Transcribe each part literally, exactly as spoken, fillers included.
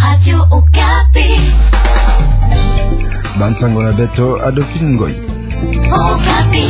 Radio Okapi. Bansango na beto, Adolphine Ngoyi. Okapi.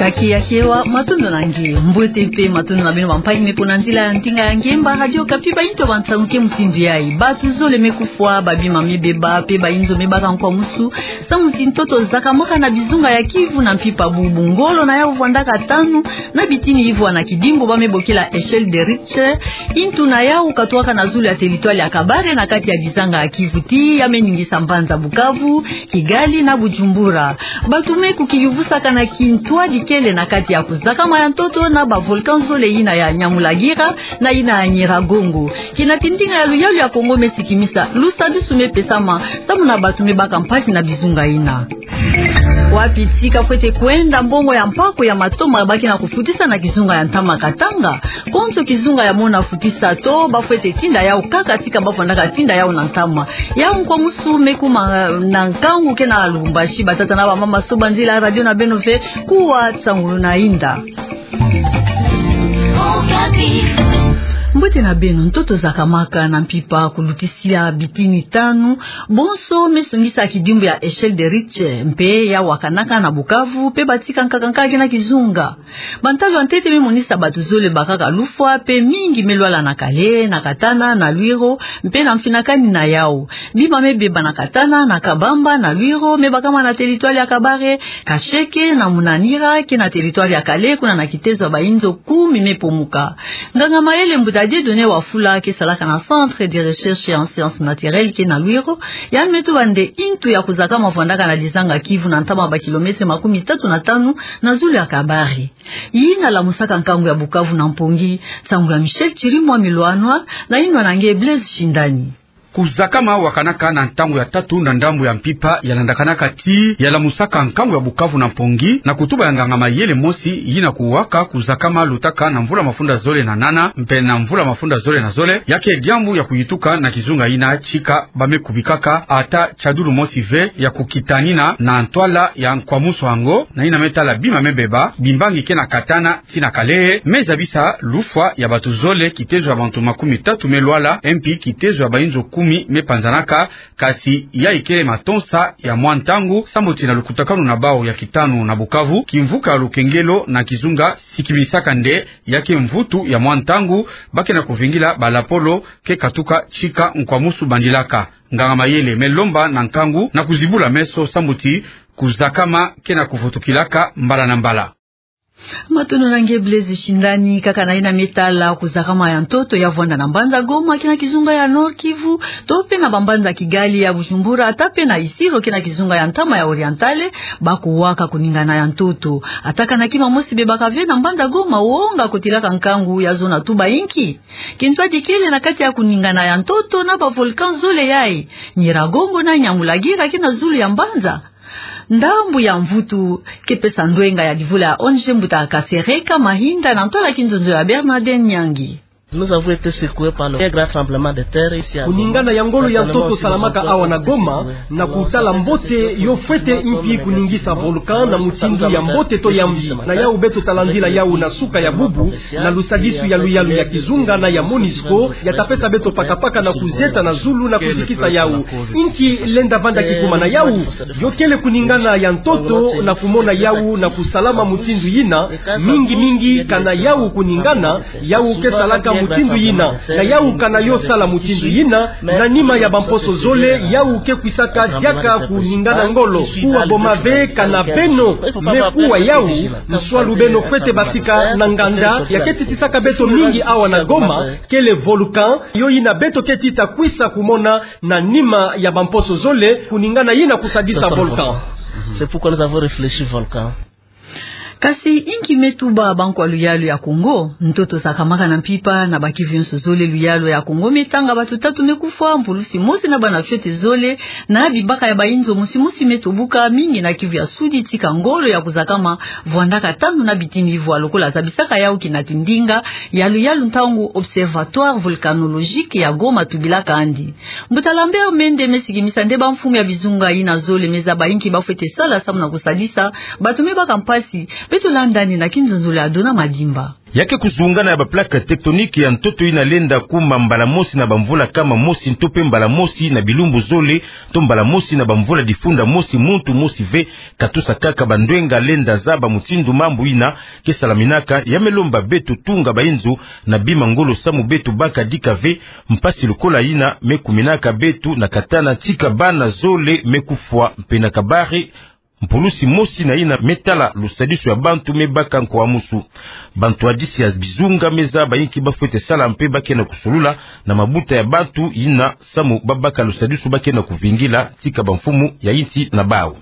Kaki ya kewa, matondo na nge. Mbote mpe matondo na beno bampangi me pona nzila ya ndinga ya ngemba Radio Okapi, ba intu ya bansango ke mutindu yayi. Bato zole me kufwa, babima me beba, mpe bayinzo me baka nkwamusu, samu ti ntoto zakamaka na bizunga ya Kivu na mpimpa bubu. Ngolo na yau vwandaka tanu, na bitini ivwa na kidimbu ba me bokila échelle de Richter. Intu na yau katuaka na zulu ya territoire ya Kabare na kati ya dizanga ya Kivu, ti ya me ningisa mbanza Bukavu, Kigali na Bujumbura. Bato me kukiyuvusaka na kintwadi kele na kati ya kuzakama ya ntoto na ba volcan zole, yina ya Nyamulagira na yina ya Nyiragongo. Kina ti ndinga ya luyalu ya Kongo me sikimisa, lusadusu me pesama samu na bato me baka mpasi na bizunga yina. Wapi tika fwete kwenda mbongo ya mpaku ya matoma ba ke na kufutisa na kizunga ya ntama Katanga? Konso kizunga ya mona futisa to ba fwete tinda yau kaka tika ba fwandaka tinda yau na ntama? Yau nkwamusu me kuma na nkangu ke na Lubumbashi. Batata na bamama, soba nzila ya radio na beno ve, kuwa nsangulu na inda. Mbote na beno. Ntoto zakamaka na mpimpa kulutisila bitini tanu, bonso me songisa kidimbu ya échelle de Richter, mpe ya wakanaka na Bukavu, mpe batika nkaka nkaka ke na kizunga. Bantalu ya ntete me monisa bato zole bakaka lufwa, mpe mingi me lwala na Kalehe, na Katana, na Lwiro, mpe na mfinakani na yau. Bima me beba na Katana, na Kabamba, na Lwiro, me bakama na territoire ya Kabare, Kasheke na Munanira, ke na territoire ya Kalehe, kuna na kitezo ya bayinzo kumi me pomuka. Nganga mayele mbuta Dieudonné Wafula, ke salaka na Centre de Recherche en Sciences Naturelles, ke na Lwiro, yandi me tuba nde intu ya kuzakama vwandaka na dizanga Kivu na ntama ba kilomètre makumi tatu na tanu na zulu ya Kabare. Yina lamusaka nkangu ya Bukavu na Mpongi. Nsangu ya Michel Chirimwami Lwani na inwa na nge Blaise Shindani. Kuzakama wakanaka na ntangu ya tatu na ndambu ya mpimpa ya landakanaka ti ya lamusaka nkangu ya Bukavu na Mpongi, na kutuba ya nganga mayele mosi yina kuwaka, kuzakama lutaka na mvula mafunda zole na nana mpe na mvula mafunda zole na zole, ya ke diambu ya kuyituka na kizunga yina tika ba me kubikaka ata tiadulu mosi ve ya kukitanina na ntwala ya nkwamusu yango, na yina me tala bima me beba, bimbangi ke na Katana ti na Kalehe, me zabisa lufwa ya bato zole, kitezo ya bantu makumi tatu me lwala, mpe kitezo ya bayinzo kumi me panzanaka. Kasi yayi kele matonsa ya mwa ntangu, sambu ti na lukutakanu na bau ya kitanu na Bukavu, kimvuka lukengelo na kizunga sikimisaka nde ya ke mvutu ya mwa ntangu, ba ke na kuvingila balapolo ke katuka tika nkwamusu bandilaka. Nganga mayele me lomba na nkangu na kuzibula meso sambu ti kuzakama ke na kuvutukilaka mbala na mbala. Matondo na nge Blaise Shindani. Kaka na yina me tala kuzakama ya ntoto ya vwanda na mbanza Goma, ke na kizunga ya Nord-Kivu, to mpe na bambanza Kigali, ya Bujumbura, ata mpe na Isiro, ke na kizunga ya ntama ya Orientale, ba kuwaka kuningana ya ntoto. Ata kana kima mosi bebaka ve na mbanza Goma, wonga kotilaka nkangu ya zona tuba inki? Kintwadi kele na kati ya kuningana ya ntoto na ba volcan zole yayi, Nyiragongo na Nyamulagira, ke na zulu ya mbanza. Ndambu ya mvutu ke pesa ndwenga ya divula ya O N G mbuta Kasereka Mahinda na ntwala kinzonzo ya Bernardin Nyangi. Nous avons été secoués par le très grand tremblement de terre ici à Goma. Kuningana ya ngolo ya ntoto salamaka awa na Goma, na kutala mbote yo fwete inki kuningisa volcan na mutindu ya mbote to ya mbi. Na yau beto talandila yau na suka ya bubu, na lusadisu ya luyalu ya kizunga na ya MONUSCO, ya ta pesa beto pakapaka na kuzieta na zulu na kuzikisa yau. Inki lenda vanda kikuma na yau? Yo kele kuningana ya ntoto na kumona yau na kusalama mutindu yina, mingi mingi kana yau kuningana, yau ke salaka mutindu yina, na yau kana yo sala mutindu yina, na nima ya bamposo zole, yau ke kwisaka diaka kuningana ngolo. Kuwa boma ve kana beno me kuwa yau, nswalu beno fwete basika na nganda ya ke titisaka beto mingi awa na Goma, kele volcan, yo yina beto ke tita kwisa kumona na nima ya bamposo zole, kuningana yina kusadisa volcan. C'est pourquoi nous avons réfléchi volcan. Kasi inki me tuba bankwa luyalu ya Kongo? Ntoto sakamaka na mpimpa na bakivi yonso zole. Luyalu ya Kongo me tanga, bato tatu me kufwa, mpulusi mosi na bana fiote zole, na bibaka ya bainzo mosi mosi me tobuka, mingi na Kivu ya Sudi, tika ngolo ya kuzakama vwandaka tanu na bitini ivwa, lokola zabisaka yau kinati ndinga ya luyalu ntangu Observatoire Volcanologique ya Goma tubilaka andi. Mbuta Lambert Mende me sikimisa nde bamfumu ya bizunga yina zole me zaba inki bafwete sala samu na kusadisa bato me baka mpasi. Beto landa ni na kinzonzolo ya Dona Madimba. Ya ke kuzungana ya baplaque tectonique ya ntoto yina lenda kuma mbala mosi na bamvula kama mosi, nto pe mbala mosi na bilumbu zole, nto mbala mosi na bamvula difunda mosi, muntu mosi ve katusa kaka bandwenga lenda zaba mutindu mambu yina ke salaminaka. Ya me lomba beto tunga bainzo na bima ngolo samu beto baka dika ve mpasi lokola yina me kuminaka beto na katana, tika bana zole me kufwa mpe na kabare mpulusi mosi na yina me tala lusadisu ya bantu me baka nkwamusu. Bantwadisi ya bizunga me zaba inki bafwete sala mpe ba ke na kusolula na mabuta ya bantu yina samu babaka lusadisu ba ke na kuvingila tika bamfumu ya insi na bau.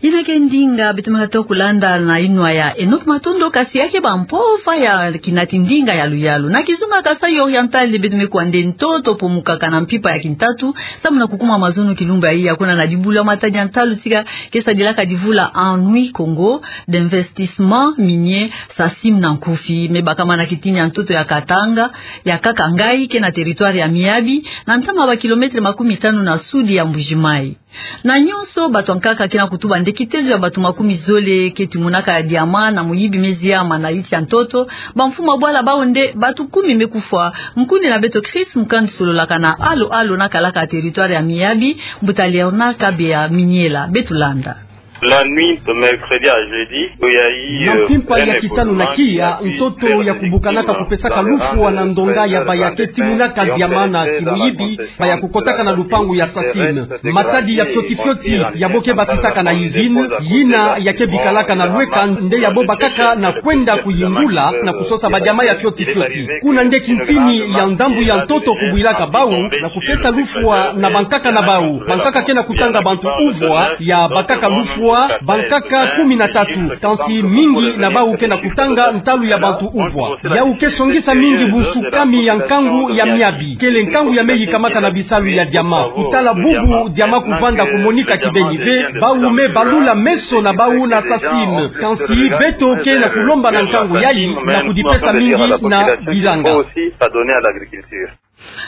Yina ke ndinga beto me katuka kulanda na yinwa ya Enoch Matondo, kasi ya ke bampova ya kinati ndinga ya luyalu. Na kizunga Kasaï Oriental nde beto me kuwa nde ntoto pomukaka na mpimpa ya kintatu samu na kukuma mazono kilumbu ya iya, kuna na dibulu ya Matadi ya ntalu, tika ke sadilaka divula Anui Kongo d'Investissement Minier, SACIM na nkufi, me bakama na kitini ya ntoto ya Katanga, ya Kakangayi, ke na territoire ya Miabi, na ntama ya bakilometre makumi tanu na sudi ya Mbuji-Mayi. Na nyonso, bato ya nkaka ke na kutuba nde kitezo ya bato makumi zole ke timonaka diamant na muyibi me ziama na iti ya ntoto. Bamfumu ya bwala bau nde bato kumi me kufwa, nkundi na beto Chris Mukand sololaka na Alo Alo na kalaka territoire ya Miabi, mbuta Léonard Kabeya Miniela. Beto landa. La nuit de mercredi à jeudi, il y a eu, na euh, mpimpa ya kitanu na kiya, ntoto ya kubukanaka kupesaka lufwa na ndonga ya baya ke timonaka diamant na kimuyibi, baya kukotaka na lupangu ya SACIM. Matadi ya fioti fioti ya bo ke basisaka na usine, yina ya ke bikalaka na lweka, nde ya bo bakaka na kwenda kuyingula na kusosa badiamant ya fioti fioti. Kuna nde kintini ya ndambu ya ntoto kubwilaka bau na kupesa lufwa na bankaka na bau. Bankaka ke na kutanga bantu uvwa ya bakaka lufwa, bankaka kumi na tatu, kansi mingi na bau ke na kutanga ntalu ya bantu uvwa. Yau ke songisa mingi bunsukami ya nkangu ya Miabi, kele nkangu ya me yikamaka na bisalu ya diamant. Kutala bubu diamant kuvanda kumonika kibeni ve, bau me balula meso na bau na SACIM. Kansi beto ke na kulomba na nkangu yayi na kudipesa mingi na bilanga.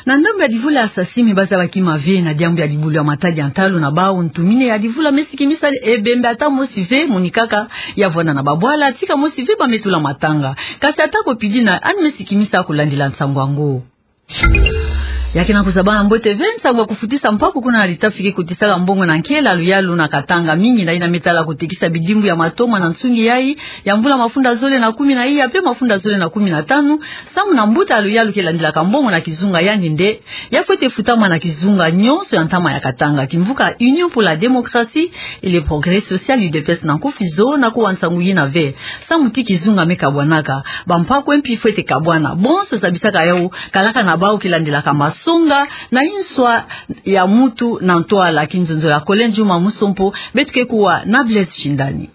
Na ndambu ya divula ya SACIM, ba zaba kima ve na diambu ya dibulu ya Matadi ya ntalu na bau, ntumini ya divula me sikimisa ebembe ata mosi ve monikaka ya vwanda na babwala, tika mosi ve ba me tula matanga. Kasi ata ko pidi na ani me sikimisa kulandila nsangu yango. Ya ke na kuzabana mbote ve nsangu ya kufutisa mpaku kuna na Litafi ke kotisaka mbongo na nkela luyalu na Katanga, mingi na yina me tala kutekisa bidimbu ya matoma na nsungi yayi ya mvula mafunda zole na kumi na iya pe mafunda zole na kumi na tanu, samu na mbuta ya luyalu ke landilaka mbongo na kizunga, yandi nde ya fwete futama na kizunga nyonso ya ntama ya Katanga. Kimvuka Union pour la démocratie et le progrès social, UDPS na nkufi, zo na kuwa nsangu yina ve, samu ti kizunga me kabwanaka, bampaku mpi fwete kabwana. Bonso zabisaka yau kalaka na bau ke landilaka masonga na inswa ya mutu na ntwala. Kinzonzolo ya Collin Juma Musompo, beto ke kuwa na Blaise Shindani.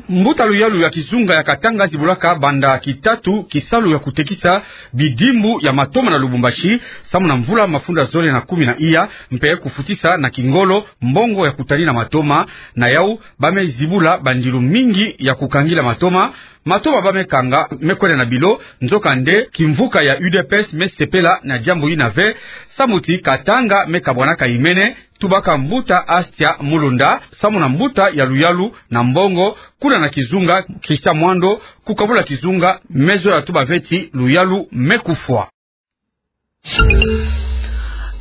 Mbuta luyalu ya kizunga ya Katanga zibulaka banda kitatu kisalu ya kutekisa bidimbu ya matoma na Lubumbashi, samu na mvula mafunda zole na kumi na iya, mpe kufutisa na kingolo mbongo ya kutani na matoma. Na yau ba me zibula bandilu mingi ya kukangila matoma. Matoma ba me kanga me kwenda na bilo, nzokande kimvuka ya UDPS me sepela na diambu yina ve, samu ti Katanga me kabwanaka imene. Tubaka mbuta Astia Mulunda, samu na mbuta ya luyalu na mbongo, kuna na kizunga Christian Mwando, kukabula kizunga, me zola tuba ve ti luyalu me kufwa.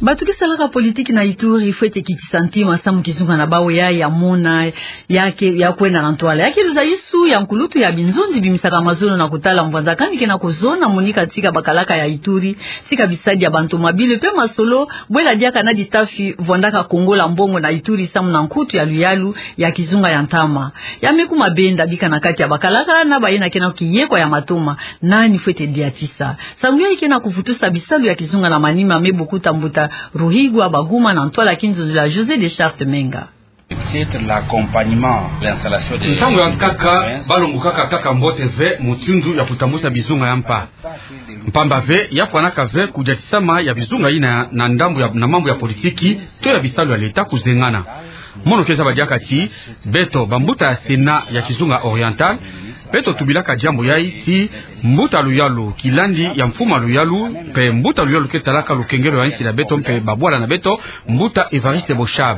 Bato ke salaka politiki na Ituri fwete kitisa ntima samu kizunga na bau ya, ya mona ya ke, ya kwenda na ntwala. Ya ke luzaisu ya nkulutu ya binzonzi bimisaka mazono na kutala mbwanzakani ke na kuzona monika tika bakalaka ya Ituri, tika bisadi ya bantu mabile pe masolo, bwela diaka na Litafi vwandaka kongola mbongo na Ituri samu na nkutu ya luyalu ya kizunga ya ntama. Ya me kuma benda bika na kati ya bakalaka na bayina ke na kiyekwa ya matoma. Nani fwete diatisa? Nsangu yayi ke na kuvutusa bisalu ya kizunga na manima, me bukuta mbuta Ruhigwa Baguma na ntwala kinzonzolo ya José de Charte Menga. Peut-être l'accompagnement, l'installation des... Ntangu ya nkaka, balongokaka kaka mbote ve mutindu ya kutambusa bizunga ya mpa. Mpamba ve, ya fwanaka ve kudiatisama ya bizunga yina na ndambu ya, na mambu ya politiki, to ya bisalu ya leta kuzengana. Mono ke zaba diaka ti, beto, bambuta ya Sénat ya kizunga oriental, beto tubilaka diambu yayi ti, mbuta luyalu, kilandi ya mfuma luyalu, mpe mbuta luyalu ke talaka lukengelo ya insi ya beto mpe babwala na beto, mbuta Évariste Boshab.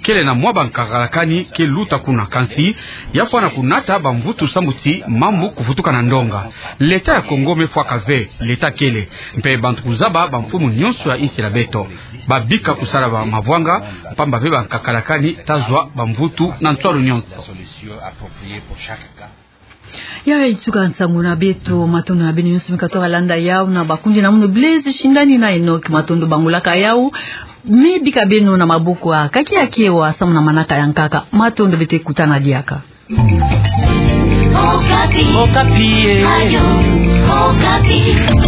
Kele na mwa bankakalakani ke luta kuna, kansi ya fwana kunata bamvutu sambu ti mambu kuvutuka na ndonga. Leta ya Congo me fwaka ve, leta kele. Mpe bantu kuzaba bamfumu nyonso ya insi ya beto. Babika kusala bamavwanga, mpamba ve bankakalakani ta zwa bamvutu na nswalu nyonso. Ya, ya ituka nsangu na beto, matondo na beno nyonso mi katwaka landa yawu na bakundi na munu Blaise Shindani na Enoch Matondo bangulaka yawu. Mi bika beno na maboko ya Kaki Akewa samu na manaka ya nkaka. Matondo, beto kutana diaka. Okapi. Okapi, eh. Radio Okapi.